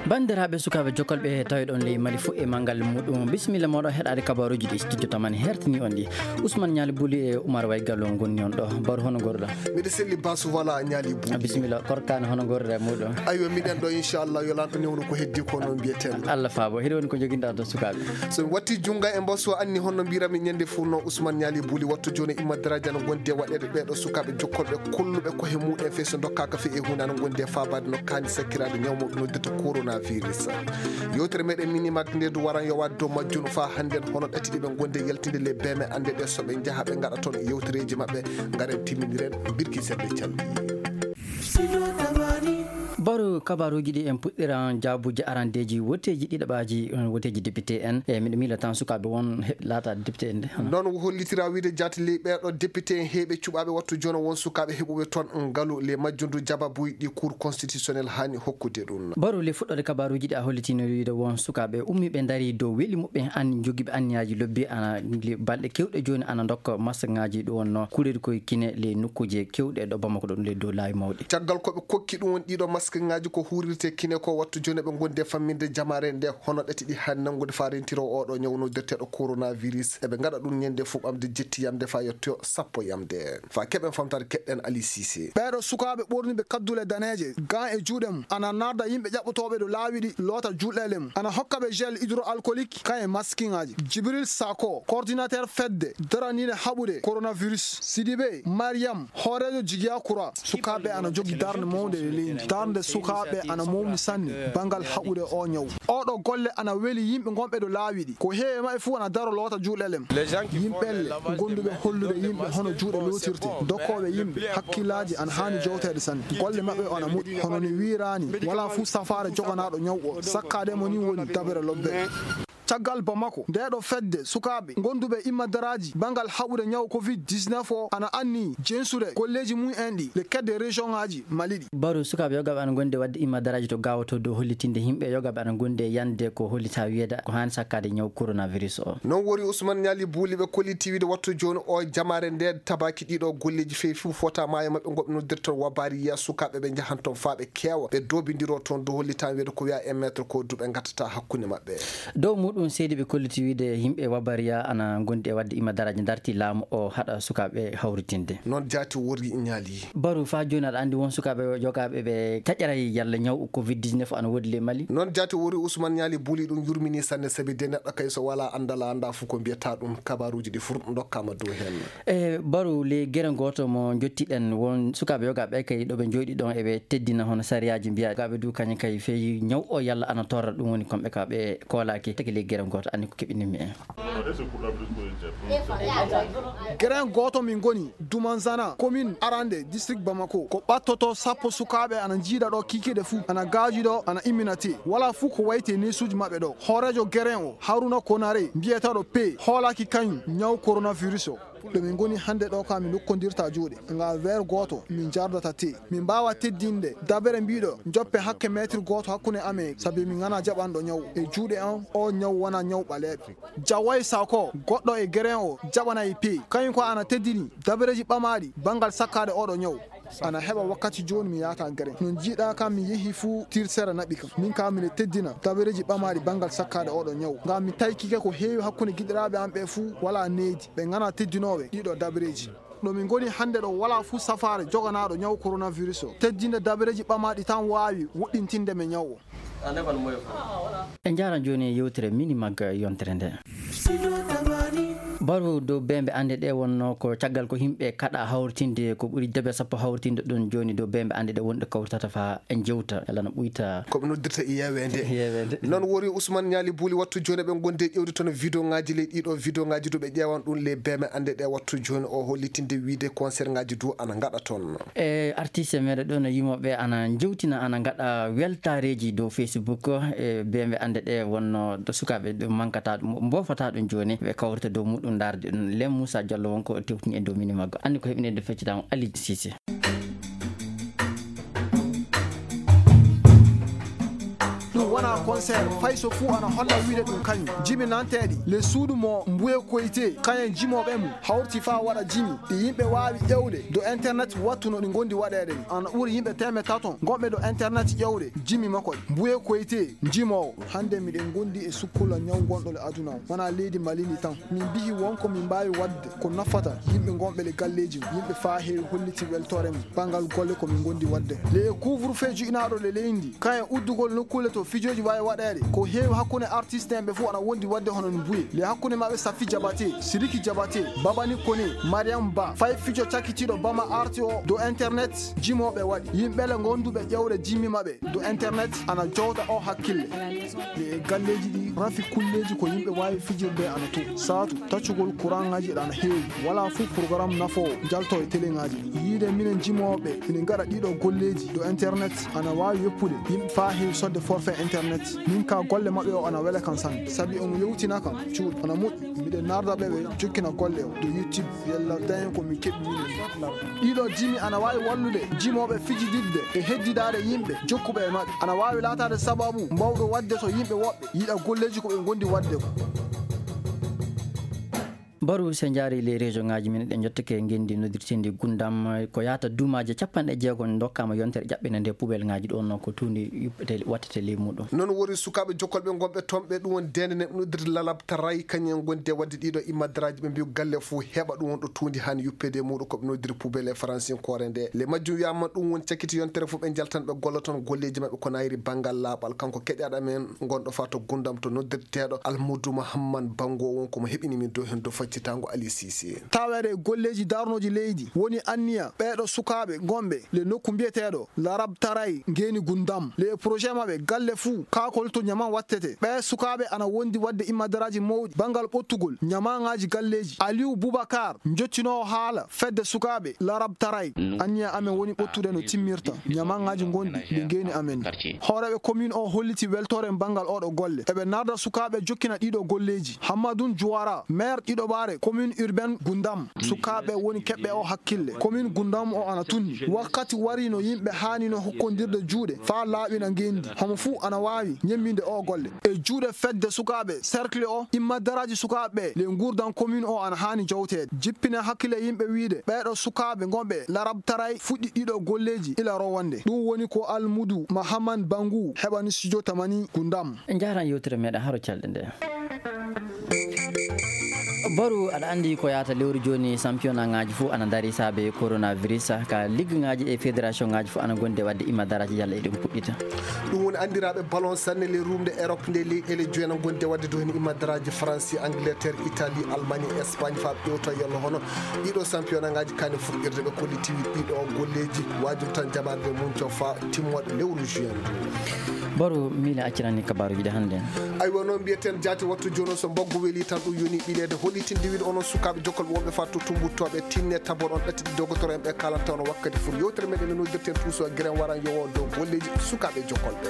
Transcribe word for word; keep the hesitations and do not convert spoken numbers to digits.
Banndiraaɓe sukaaɓe jokkolɓe tawee ɗon ley Mali fof e manngal muɗum, bisimilla mooɗon heɗaade kabaaruuji ɗi studio tamani hertini on ɗi. Ousmane Ñaali Buli e Oumar Way Gallo ngonni on ɗo. Baro, hono ngorɗaa? Miɗo selli Basu, voilà, Ñaali Buli. Bisimilla Korkaane, hono ngorɗaa e muɗum? Aywa, miɗen ɗo, inchallah, yo Lanɗo newnu ko heddi ko, noon mbiyeten. Allah faabo. Hiɗo woni ko njoginɗaa to sukaaɓe? So mi watti junngo e mbasu, anni honno mbiyranmi ñande fof, no Ousmane Ñaali Buli, wattu jooni imma daraaji ana ngondi e waɗeede ɓee ɗo sukaaɓe jokkorɓe kolluɓe koye muɗen fey so ndokkaaka fey e huunde ana ngondi e faabaade no kaani sakkiraade ñaw mo noddirta coronavirus. Yewtere meɗen Mini Mag nde du waran yowaade dow majjum faa hannden hono ɗati ɗi ɓe ngondi e yaltinde le beme annde ɗe so ɓe njaha ɓe ngaɗa toon yewtereeji maɓɓe, ngaren timminiren birki seɗɗe calɗi. Baro, kabaaruuji ɗi en puɗɗiran jaabuuji arandeeji woteeji ɗiɗaɓaaji, on woteeji député en. E miɗo miila tan sukaaɓe won heɓ-, laataade député en de, hono? Noon hollitira wiide jaati ley ɓee ɗo député en heeɓe cuɓaaɓe wattu jooni won sukaaɓe heɓuɓe toon ngalu le majjundu jababuuji ɗi Cour constitutionnelle haani hokkude ɗum. Baro, le fuɗɗoode kabaaruuji ɗi a hollitino wiide won sukaaɓe ummiiɓe ndarii dow weli muɓɓen an jogiiɓe anniyaaji lobbi ana le balɗe kewɗe jooni ana ndokka maskŋaaji ɗum wonno kuuɗeeɗi koye kine le nokkuuje kewɗe ɗo Bamako ɗo ɗum le dow laawi mawɗi. Caggal ko ɓe kokki ɗum won ɗiɗo maskŋaaji ko huurirte kine ko wattu jooni ɓe ngondi e famminde jamaare nde hono ɗati ɗi haani nanngude faa rentiro oo ɗo ñaw noddirteeɗo coronavirus. Eɓe ngaɗa ɗum ñande fof ɓamde jetti yamde faa yetto sappo yamde. Faa keɓen famtaade keɗɗen Ali Cissé. Ɓee ɗo sukaaɓe ɓorniiɓe kaddule daneeje, gan e juuɗe mum, ana narda yimɓe ƴaɓɓotooɓe ɗo laawi ɗi loota juuɗeele mum. Ana hokka ɓe gel hydroalcoolique, kan e maskiŋaaji. Jibril Sako, coordinateur fedde daraniinde haɓude coronavirus. Sidibé Mariam, hooreejo Jigiya Kura. Sukaaɓe ana jogi darnde mawnde e leydi. Darnde sukaaɓe ana mawni sanne banngal haɓude oo ñaw. Oo ɗo golle ana weli yimɓe gonɓe ɗo laawi ɗi. Ko heewi e maɓɓe fof ana daro loota juuɗeele mum. Yimɓe elle gonduɓe hollude yimɓe hono juuɗe lootirte, dokkooɓe yimɓe, hakkillaaji ana haani jowteede sanne. Golle maɓɓe ana moƴƴi, hono ni wiiraani, walaa fuu safaare joganaaɗo ñaw o, sakkaade mo ni woni dabere lobbere. Caggal Bamako, ndee ɗo fedde sukaaɓe gonduɓe imma daraaji banngal haɓude ñaw covid dix-neuf o ana anni jensude golleeji mum en ɗi le kedde région ŋaaji Mali ɗi. Baro, sukaaɓe yogaaɓe ana ngondi e waɗde imma daraaji to Gaawo to dow hollitinde yimɓe yogaaɓe ana ngondi e yande ko hollitaa wiyeede ko haani sakkaade ñaw coronavirus o. Noon wori Ousmane Ñaali Buli ɓe kolliti wiide wattu jooni o jamaare nde tabaaki ɗiɗo golleeji fey fuu fota maayo maɓɓe ngo ɓe noddirta wabaariya sukaaɓe ɓe njahan toon faa ɓe keewa ɓe doobindiro toon dow hollitaa wiyeede ko wiya e maître ko duɓe ngattata hakkunde maɓɓe. Dow muɗum seedi ɓe kolliti wiide yimɓe wabaariya ana ngondi e waɗde imma daraaji darti laamu o haɗa sukaaɓe hawritinde. Noon jaati wori Ñaali. Baro, faa jooni aɗa anndi won sukaaɓe yogaaɓe ɓe taƴaray yalla ñaw covid dix-neuf ana woodi ley Mali? Noon jaati wori Ousmane Ñaali Buli ɗum yurmini sanne sabi de neɗɗo kay so walaa anndal a anndaa fof ko mbiyata ɗum kabaaruuji ɗi fof ndokkaama dow heen. E Baro, le gere gooto mo njottiɗen won sukaaɓe yogaaɓe kay ɗo ɓe njooɗi ɗon eɓe teddina hono sariyaaji mbiya yogaaɓe du kañum kay fey ñaw o yalla ana torra ɗum woni kamɓe ka ɓe koolaaki tagi le gere gooto anndi ko keɓinimmi en. Geren gooto min ngoni Dumanzana, commune arande, district Bamako. Ko ɓattoto sappo sukaaɓe ana njiida ɗo kiikiiɗe fuu, ana gaaji ɗo, ana immina tee. Walaa fuu ko wayti e neesuuji maɓɓe ɗo. Hooreejo geren o, Haruna Konare, mbiyeteeɗo P, hoolaaki kañum ñaw coronavirus o. Ɗo min ngoni hannde ɗo ka min nokkondirta juuɗe. Nga weer gooto min njardata tee. Min mbaawa teddinde dabere mbiiɗo njoppe hakke meetir gooto hakkunde amen, sabi min ngana jaɓanɗo ñaw. E juuɗe an, o ñaw wona ñaw ɓaleeɓe. Jaway Sako, goɗɗo e geren o, jaɓanay P. Kañum ko ana teddini dabereeji ɓamaaɗi banngal sakkaade oɗo ñaw. Ana heɓa wakkati jooni mi yaata geren. No njiiɗaa kam mi yehi fuu tirsere naɓi kam. Min kam miɗo teddina dabereeji ɓamaaɗi banngal sakkaade oɗo ñaw. Ngam mi taykike ko heewi hakkunde giɗiraaɓe am ɓe fuu walaa needi. Ɓe ngana teddinooɓe ɗiɗo dabereeji. Ɗo min ngoni hannde ɗo walaa fuu safaare joganaaɗo ñaw coronavirus o. Teddinde dabereeji ɓamaaɗi tan waawi woɗɗintinde men ñaw o. En njaaran jooni e yewtere Mini Mag yontere nde. Baro, dow bembe annde ɗe wonno ko caggal ko yimɓe kaɗa hawritinde ko ɓuri debe sappo hawritinde ɗum jooni dow bembe annde ɗe wonɗe kawritata fa en jewta yalla no ɓuyta. Ko ɓe noddirta e yeweende. Yeweende. Noon wori Ousmane Ñaali Buli wattu jooni ɓe gonde ƴewde toon vidéo ŋaaji ley ɗiɗo vidéo ŋaaji du ɓe ƴeewan ɗum ley beme annde ɗe wattu jooni o hollitinde wiide concert ŋaaji du ana ngaɗa toon. E artiste meɗen ɗo no yimoɓe ana jewtina ana ngaɗa weltareji dow Facebook e bembe annde ɗe wonno sukaɓe ɗum mankata ɗum mbofata ɗum jooni ɓe kawrita dow muɗum ndarde ɗum. Lem Moussa Diallo wonko tewtini e dow mini maggo anndi ko heɓinede feccitamo Ali Cissé. Wona concert, fay so fuu ana holla wiide ɗum kañum. Jimi nanteeɗi le suudu mo Mbuye Koyte, kañum jimooɓe mum hawti faa waɗa jimi ɗi yimɓe waawi ƴeewde do internet wattu no ɗi ngondi waɗeede ni. Ana ɓuri yimɓe teemeɗɗe tato ngonɓe do internet ƴeewde jimi makko ɗi. Mbuye Koyte, jimoowo. Hannde miɗen ngondi e sukkula ñaw ngonɗo le aduna o. Wona leydi Mali ndi tan. Min mbihi won ko min mbaawi waɗde ko nafata yimɓe ngonɓe le galleeji mum. Yimɓe faa heewi holliti weltoore mum banngal golle ko min ngondi waɗde. Le e couvre-feu juɓinaaɗo le leydi ndi, kañum e uddugol nokkuule to fijooji waawi waɗeede, ko heewi hakkunde artiste en ɓe fof ana wondi waɗde hono no Mbuye. Le hakkunde maɓɓe Safi Jabate, Sidiki Jabate, Babani Kone, Mariam Ba, fay fijo cakkitiiɗo Bama Art o do internet, jimooɓe waɗi. Yimɓe le ngonduɓe ƴeewde jimmi maɓɓe do internet ana jowta o hakkille. E galleeji ɗi rafi kulleeji ko yimɓe waawi fijirde ana to. Saatu, taccugol kuraŋaaji ɗi ana heewi. Walaa fuu programme nafoowo jalto e teleŋaaji ɗi. Yiide minen jimooɓe ina ngaɗa ɗiɗo golleeji do internet ana waawi weppude yimɓe faa heewi sodde forfait internet. Min ka golle maɓɓe o ana wela kan sanne. Sabi omo yewtina kan cuuɗi. Ana moƴƴi. Miɗen narda ɓe ɓe jokkina golle o do YouTube. Yalla dañen ko min keɓi minen. Ɗiɗo jimi ana waawi wallude jimooɓe fijididde e heddidaade yimɓe jokkuɓe e maɓɓe. Ana waawi laataade sababu mawɗo waɗde so yimɓe woɓɓe yiɗa golleeji ko ɓe ngondi waɗde ko. Baru, so njaari les région ŋaaji men, ɗe njottake ngenndi noddirteendi Gundam, ko yaata duumaaje capanɗe jeego ndokkaama yontere ƴaɓɓinde nde poubelle ŋaaji ɗo no ko tuundi yuppete, wattete ley muuɗum. Noon woni sukaaɓe jokkolɓe ngonɓe toon ɓe, ɗum woni deende ne noddirde Lalab Taray, kañum en ngondi e waɗde ɗiɗo immadaraaji ɓe mbiyu galle fof heɓa ɗum won ɗo tuundi haani yuppeede e muuɗum ko ɓe noddiri poubelle e faransinkoore nde. Le majjum wiyaama ɗum woni cakkiti yontere fof ɓe njaltan ɓe golla toon golleeji maɓɓe ko nayri banngal laaɓal. Kanko keɗiyaɗo men gonɗo faa to Gundam to noddirteeɗo Almudu Mahamman Bango won ko mo heɓini min dow heen dow faccitaango Ali Sise. Taweede e golleeji darnooji leydi woni anniya ɓeeɗo sukaaɓe ngonɓe le nokku mbiyeteeɗo Larab Taray ngeeni Gundam. Le e projet maɓɓe galle fuu kaakol to ñaman wattete. Ɓee sukaaɓe ana wondi waɗde immadaraaji mawɗi banngal ɓottugol ñamaŋaaji galleeji. Aliyu Bubakar, njottinoowo haala fedde sukaaɓe Larab Taray. Anniya amen woni ɓottude no timmirta ñamaŋaaji ngonɗi le ngeeni amen ndi. Hooreeɓe commune o holliti weltoore banngal oɗo golle. Eɓe narda sukaaɓe jokkina ɗiɗo golleeji. Hammadun Juwara, maire ɗiɗoɓaare commune urbaine Gundam. Sukaaɓe woni keɓɓe o hakkille. Commune Gundam o ana tunni. Wakkati wari no yimɓe haani no hokkondirde juuɗe faa laaɓina ngenndi. Homo fuu ana waawi ñemminde o golle. E juuɗe fedde sukaaɓe cercle o, immadaraaji sukaaɓe ɓe le nguurdan commune o ana haani jowteede. Jippina hakkille yimɓe wiide ɓeeɗo sukaaɓe ngonɓe Larab Taray fuɗɗi ɗiɗo golleeji ila rowande. Ɗum woni ko Almudu Mahaman Bangu heɓani studio Tamani Gundam. En njaaran yewtere meɗen haro calɗe nde. Baru, aɗa anndi ko yaata lewru jooni, championnat ŋaaji fof ana ndarii saabe coronavirus. Ka ligue ŋaaji e fédération ŋaaji fof ana ngondi e waɗde immadaraaji yalla eɗen puɗɗita. Ɗum woni anndiraaɓe ballon sanne le rumde Europe nde leyɗeele joyi ana ngondi e waɗde dow heen immadaraaji Faransi, Angleterre, Italie, Allemagne, Espagne faa ɓe ƴeewta yalla hono ɗiɗo championnat ŋaaji kaani fuɗɗirde ɓe kollitiwi ɗiɗo golleeji. Waajum tan jaɓaade mum coo faa timmoode lewru juin ndu. Baru, miila accirani kabaaruuji ɗi hannde. Aywa, noon mbiyeten jaati wattu jooni o, so mbaggu weli tan ɗum yoni ɓileede. Hollitinde wiide onon sukaaɓe jokkolɓe wonɓe faa to tumbuttooɓe, tinne tabon on ɗatti ɗi dogotoro en ɓe kaalanta on wakkati fuu. Yewtere meɗen no noddirten tuuso giren waran yowo dow golleeji sukaaɓe jokkolɓe.